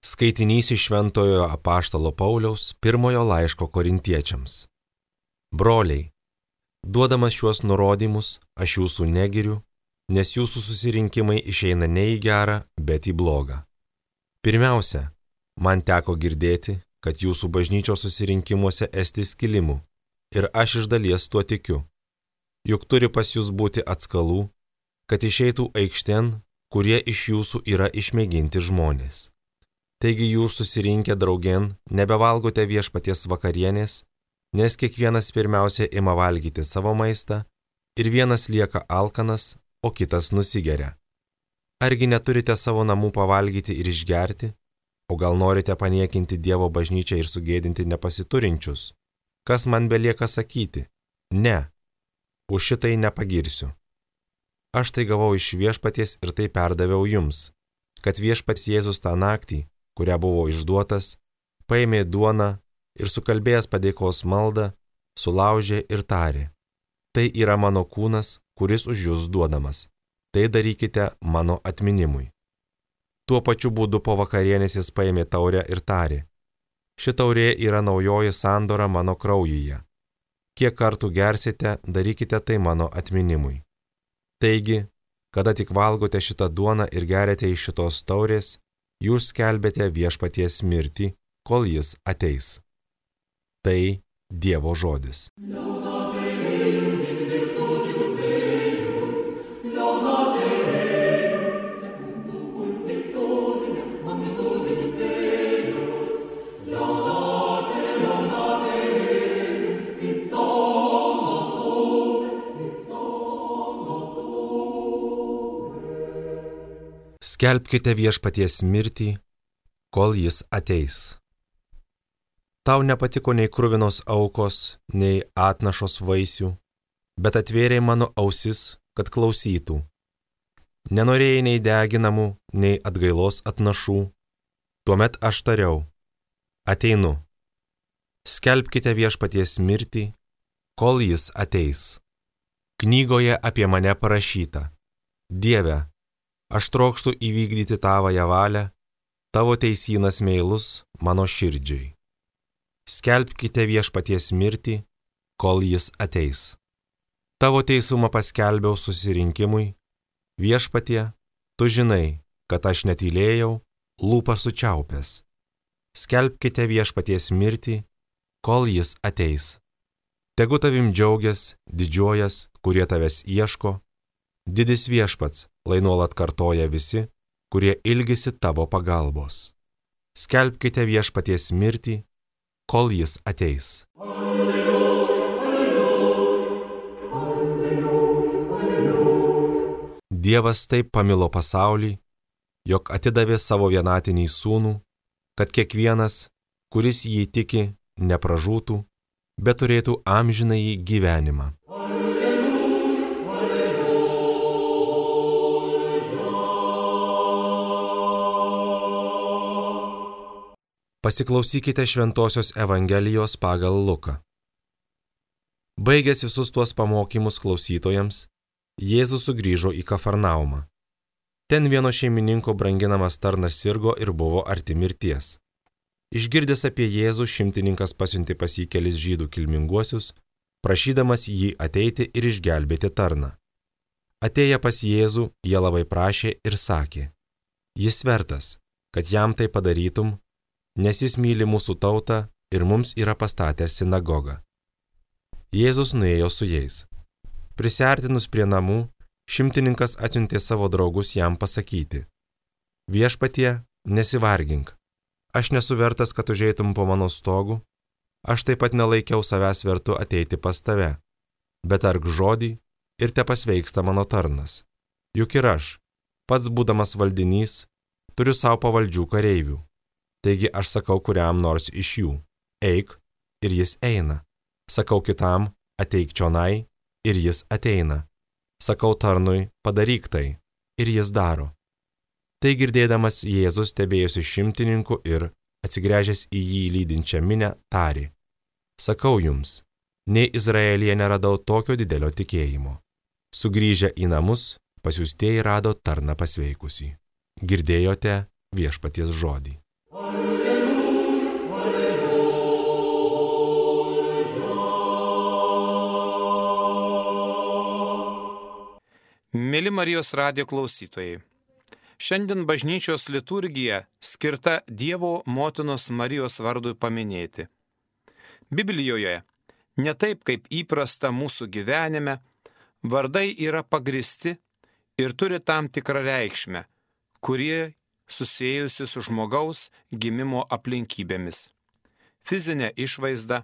Skaitinys iš Šventojo apaštalo Pauliaus pirmojo laiško korintiečiams. Broliai, duodamas šiuos nurodymus, aš jūsų negiriu, nes jūsų susirinkimai išeina ne į gerą, bet į blogą. Pirmiausia, man teko girdėti, kad jūsų bažnyčios susirinkimuose esti skilimų, ir aš iš dalies tuo tikiu. Juk turi pas jūs būti atskalų, kad išeitų aikštėn, kurie iš jūsų yra išmėginti žmonės. Taigi jūs susirinkę draugėn nebevalgote viešpaties vakarienės, nes kiekvienas pirmiausia ima valgyti savo maistą ir vienas lieka alkanas, o kitas nusigeria. Argi neturite savo namų pavalgyti ir išgerti, o gal norite paniekinti Dievo bažnyčią ir sugėdinti nepasiturinčius? Kas man belieka sakyti? Ne, už šitai nepagirsiu. Aš tai gavau iš viešpaties ir tai perdaviau jums, kad viešpats Jėzus tą naktį, kurią buvo išduotas, paėmė duoną ir sukalbėjęs padėkos maldą, sulaužė ir tarė: tai yra mano kūnas, kuris už jūs duodamas. Tai darykite mano atminimui. Tuo pačiu būdu po vakarienės jis paėmė taurę ir tarė: ši taurė yra naujoji sandora mano kraujyje. Kiek kartų gersite, darykite tai mano atminimui. Taigi, kada tik valgote šitą duoną ir geriate iš šitos taurės, jūs skelbėte viešpaties mirtį, kol jis ateis. Tai Dievo žodis. Skelbkite viešpaties mirtį, kol jis ateis. Tau nepatiko nei kruvinos aukos, nei atnašos vaisių, bet atvėrei mano ausis, kad klausytų. Nenorėjai nei deginamų, nei atgailos atnašų. Tuomet aš tariau: ateinu. Skelbkite viešpaties mirtį, kol jis ateis. Knygoje apie mane parašyta: Dieve, aš trokštu įvykdyti tavąją valią, tavo teisynas meilus mano širdžiai. Skelbkite viešpaties mirtį, kol jis ateis. Tavo teisumą paskelbiau susirinkimui, viešpatie, tu žinai, kad aš netylėjau, lūpą sučiaupęs. Skelbkite viešpaties mirtį, kol jis ateis. Tegu tavim džiaugias, didžiuojas, kurie tavęs ieško, didis viešpats, lai nuolat kartoja visi, kurie ilgisi tavo pagalbos. Skelbkite viešpaties mirtį, kol jis ateis. Alleluja, alleluja, alleluja, alleluja. Dievas taip pamilo pasaulį, jog atidavė savo vienatinį sūnų, kad kiekvienas, kuris jį tiki, nepražūtų, bet turėtų amžinąjį gyvenimą. Pasiklausykite Šventosios Evangelijos pagal Luką. Baigęs visus tuos pamokymus klausytojams, Jėzus sugrįžo į Kafarnaumą. Ten vieno šeimininko branginamas tarnas sirgo ir buvo arti mirties. Išgirdęs apie Jėzų, šimtininkas pasiuntė pas jį kelis žydų kilminguosius, prašydamas jį ateiti ir išgelbėti tarną. Atėję pas Jėzų, jie labai prašė ir sakė: jis vertas, kad jam tai padarytum, nes jis myli mūsų tautą ir mums yra pastatęs sinagogą. Jėzus nuėjo su jais. Prisiartinus prie namų, šimtininkas atsiuntė savo draugus jam pasakyti: viešpatie, nesivargink, aš nesu vertas, kad užeitum po mano stogu, aš taip pat nelaikiau savęs vertu ateiti pas tave, bet tark žodį ir tepasveiksta mano tarnas. Juk ir aš, pats būdamas valdinys, turiu savo pavaldžių kareivių. Taigi aš sakau kuriam nors iš jų: eik, ir jis eina. Sakau kitam: ateik čionai, ir jis ateina. Sakau tarnui: padaryk tai, ir jis daro. Tai girdėdamas Jėzus stebėjosi šimtininku ir, atsigręžęs į jį lydinčią minią, tarė: sakau jums, nei Izraelyje neradau tokio didelio tikėjimo. Sugrįžę į namus, pasiųstieji rado tarną pasveikusį. Girdėjote viešpaties žodį. Mėly Marijos radijo klausytojai, šiandien bažnyčios liturgija skirta Dievo motinos Marijos vardui paminėti. Biblijoje, ne taip kaip įprasta mūsų gyvenime, vardai yra pagristi ir turi tam tikrą reikšmę, kurie susijusi su žmogaus gimimo aplinkybėmis, fizinę išvaizdą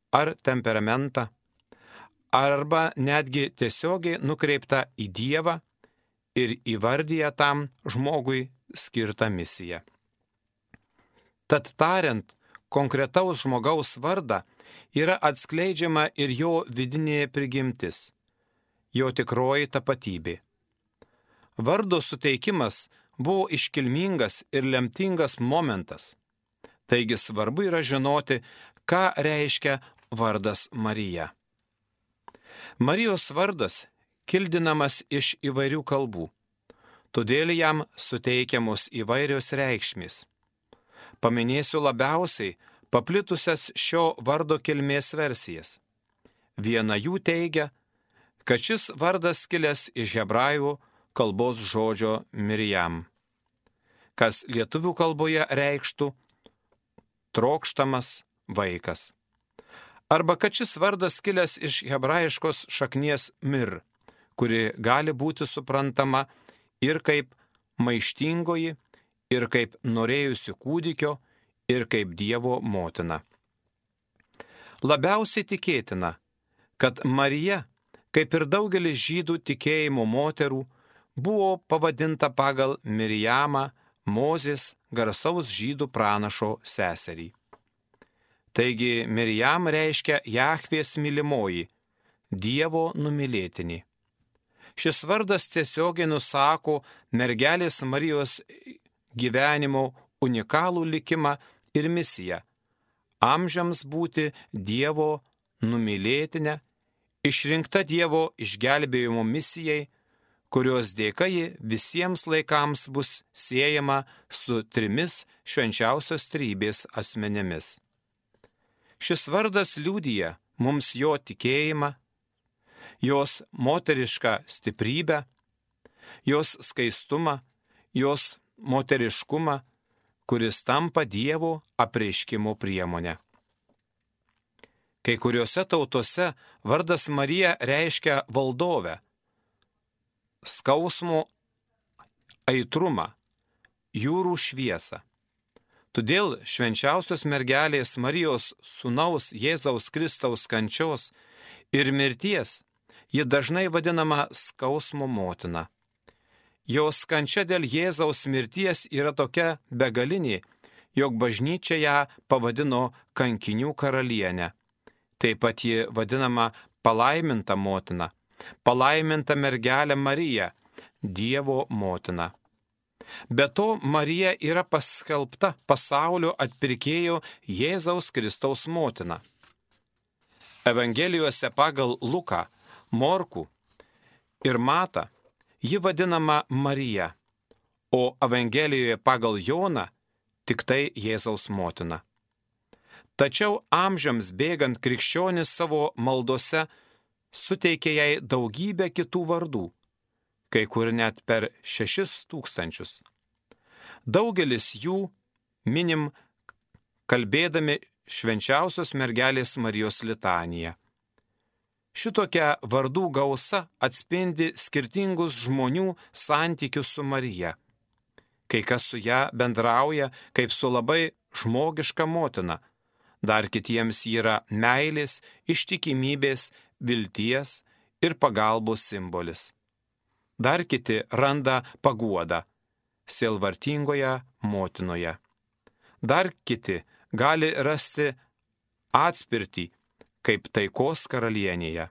ar temperamentą, arba netgi tiesiogiai nukreipta į Dievą ir įvardyja tam žmogui skirtą misiją. Tad tariant, konkretaus žmogaus vardą yra atskleidžiama ir jo vidinė prigimtis, jo tikroji tapatybė. Vardo suteikimas buvo iškilmingas ir lemtingas momentas, taigi svarbu yra žinoti, ką reiškia vardas Marija. Marijos vardas kildinamas iš įvairių kalbų, todėl jam suteikiamos įvairios reikšmės. Paminėsiu labiausiai paplitusias šio vardo kilmės versijas. Viena jų teigia, kad šis vardas kilęs iš hebrajų kalbos žodžio Mirijam, kas lietuvių kalboje reikštų trokštamas vaikas. Arba kad šis vardas kilęs iš hebrajiškos šaknies mir, kuri gali būti suprantama ir kaip maištingoji, ir kaip norėjusi kūdikio, ir kaip Dievo motina. Labiausiai tikėtina, kad Marija, kaip ir daugelis žydų tikėjimo moterų, buvo pavadinta pagal Mirijamą, Mozės garsaus žydų pranašo seserį. Taigi Mirijam reiškia Jahvės mylimoji, Dievo numylėtinį. Šis vardas tiesiogiai nusako mergelės Marijos gyvenimo unikalų likimą ir misiją – amžiams būti Dievo numylėtinę, išrinkta Dievo išgelbėjimo misijai, kurios dėka ji visiems laikams bus siejama su 3 švenčiausios trejybės asmenėmis. Šis vardas liudija mums jo tikėjimą, jos moterišką stiprybę, jos skaistumą, jos moteriškumą, kuris tampa Dievo apreiškimo priemonė. Kai kuriuose tautose vardas Marija reiškia valdovę, skausmo aitrumą, jūrų šviesą. Todėl švenčiausios mergelės Marijos sūnaus Jėzaus Kristaus kančios ir mirties ji dažnai vadinama skausmo motina. Jos kančia dėl Jėzaus mirties yra tokia begalinė, jog bažnyčia ją pavadino kankinių karalienę. Taip pat ji vadinama palaiminta motina, palaiminta mergelė Marija, Dievo motina. Be to, Marija yra paskelbta pasaulio atpirkėjo Jėzaus Kristaus motina. Evangelijose pagal Luką, Morkų ir Matą ji vadinama Marija, o Evangelijoje pagal Joną tik tai Jėzaus motina. Tačiau amžiams bėgant krikščionis savo maldose suteikė jai daugybę kitų vardų, kai kur net per 6000. Daugelis jų minim kalbėdami švenčiausios mergelės Marijos litaniją. Šitokia vardų gausa atspindi skirtingus žmonių santykius su Marija. Kai kas su ją bendrauja kaip su labai žmogiška motina, dar kitiems yra meilės, ištikimybės, vilties ir pagalbos simbolis. Dar kiti randa paguodą sielvartingoje motinoje. Dar kiti gali rasti atspirtį kaip taikos karalienėje.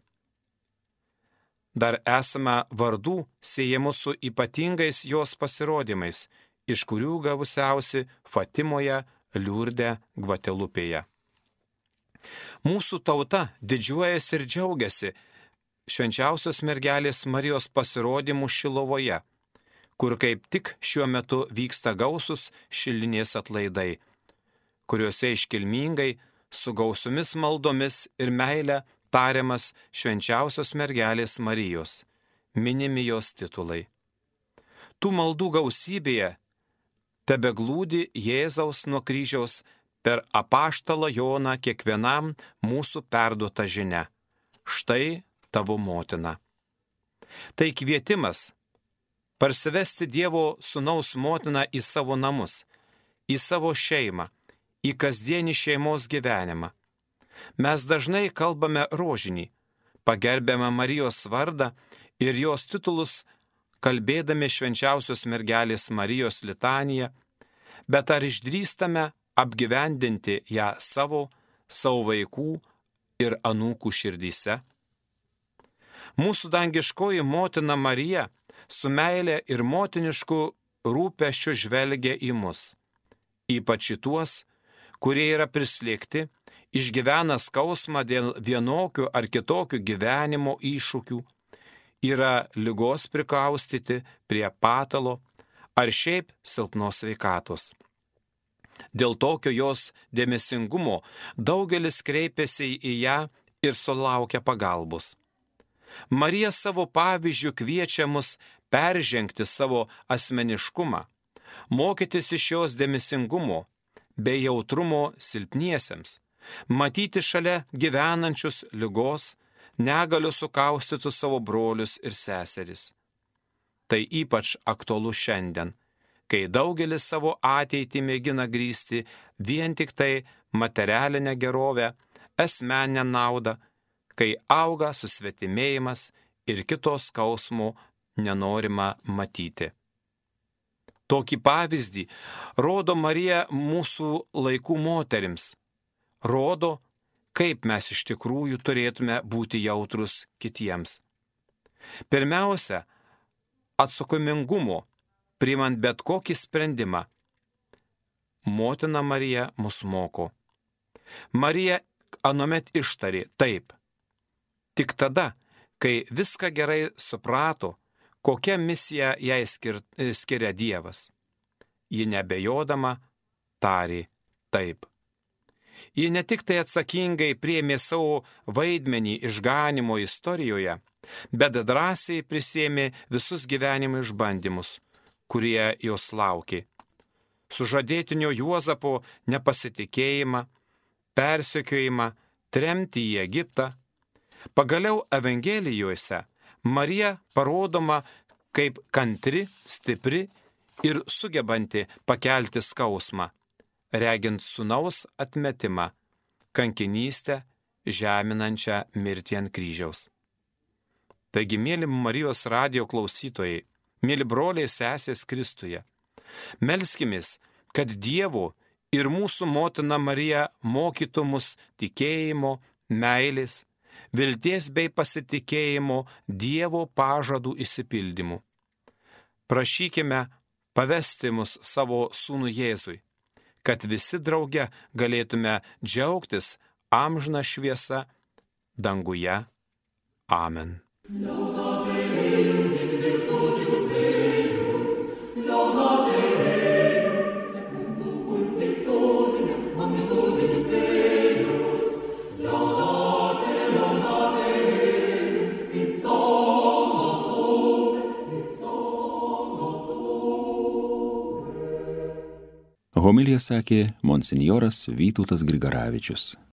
Dar esame vardų siejamų su ypatingais jos pasirodymais, iš kurių gausiausi Fatimoje, Liurde, Gvatelupėje. Mūsų tauta didžiuojasi ir džiaugiasi švenčiausios mergelės Marijos pasirodymų Šilovoje, kur kaip tik šiuo metu vyksta gausus šilinės atlaidai, kuriuose iškilmingai su gausiomis maldomis ir meile tariamas švenčiausios mergelės Marijos, minimi jos titulai. Tų maldų gausybėje tebeglūdi Jėzaus nuo kryžiaus per apaštalą Joną kiekvienam mūsų perduota žinia. Štai tavo motina. Tai kvietimas parsivesti Dievo Sūnaus motiną į savo namus, į savo šeimą, į kasdienį šeimos gyvenimą. Mes dažnai kalbame rožinį, pagerbiame Marijos vardą ir jos titulus, kalbėdami švenčiausios mergelės Marijos litaniją, bet ar išdrįstame apgyvendinti ją savo vaikų ir anūkų širdyse? Mūsų dangiškoji motina Marija su meile ir motinišku rūpesčiu žvelgia į mus, ypač į tuos, kurie yra prislėgti, išgyvena skausmą dėl vienokių ar kitokių gyvenimo iššūkių, yra ligos prikaustyti prie patalo ar šiaip silpnos sveikatos. Dėl tokio jos dėmesingumo daugelis kreipiasi į ją ir sulaukia pagalbos. Marija savo pavyzdžių kviečia mus peržengti savo asmeniškumą, mokytis iš jos dėmesingumo bei jautrumo silpniesiems, matyti šalia gyvenančius ligos, negaliu sukaustytų savo brolius ir seseris. Tai ypač aktualu šiandien, kai daugelis savo ateitį mėgina grįsti vien tik tai materialinę gerovę, asmeninę naudą, kai auga susvetimėjimas ir kitos skausmo nenorima matyti. Tokį pavyzdį rodo Marija mūsų laikų moterims, rodo, kaip mes iš tikrųjų turėtume būti jautrus kitiems. Pirmiausia, atsakomingumo, priimant bet kokį sprendimą. Motina Marija mus moko. Marija anuomet ištarė taip. Tik tada, kai viską gerai suprato, kokią misiją jai skiria Dievas. Ji nebejodama tarė taip. Ji ne tik tai atsakingai priėmė savo vaidmenį išganimo istorijoje, bet drąsiai prisėmė visus gyvenimo išbandymus, kurie jos laukė. Sužadėtinio Juozapo nepasitikėjimą, persekiojimą, tremtį į Egiptą. Pagaliau Evangelijuose Marija parodoma kaip kantri, stipri ir sugebanti pakelti skausmą, regint sūnaus atmetimą, kankinystę, žeminančią mirtį ant kryžiaus. Taigi, mėly Marijos radijo klausytojai, mėly broliai sesės Kristuje, melskimės, kad Dievo ir mūsų motina Marija mokytų mus tikėjimo, meilės, vilties bei pasitikėjimo Dievo pažadų išsipildymu. Prašykime pavesti mus savo sūnų Jėzui, kad visi drauge galėtume džiaugtis amžina šviesa danguje. Amen. Homiliją sakė monsinjoras Vytautas Grigaravičius.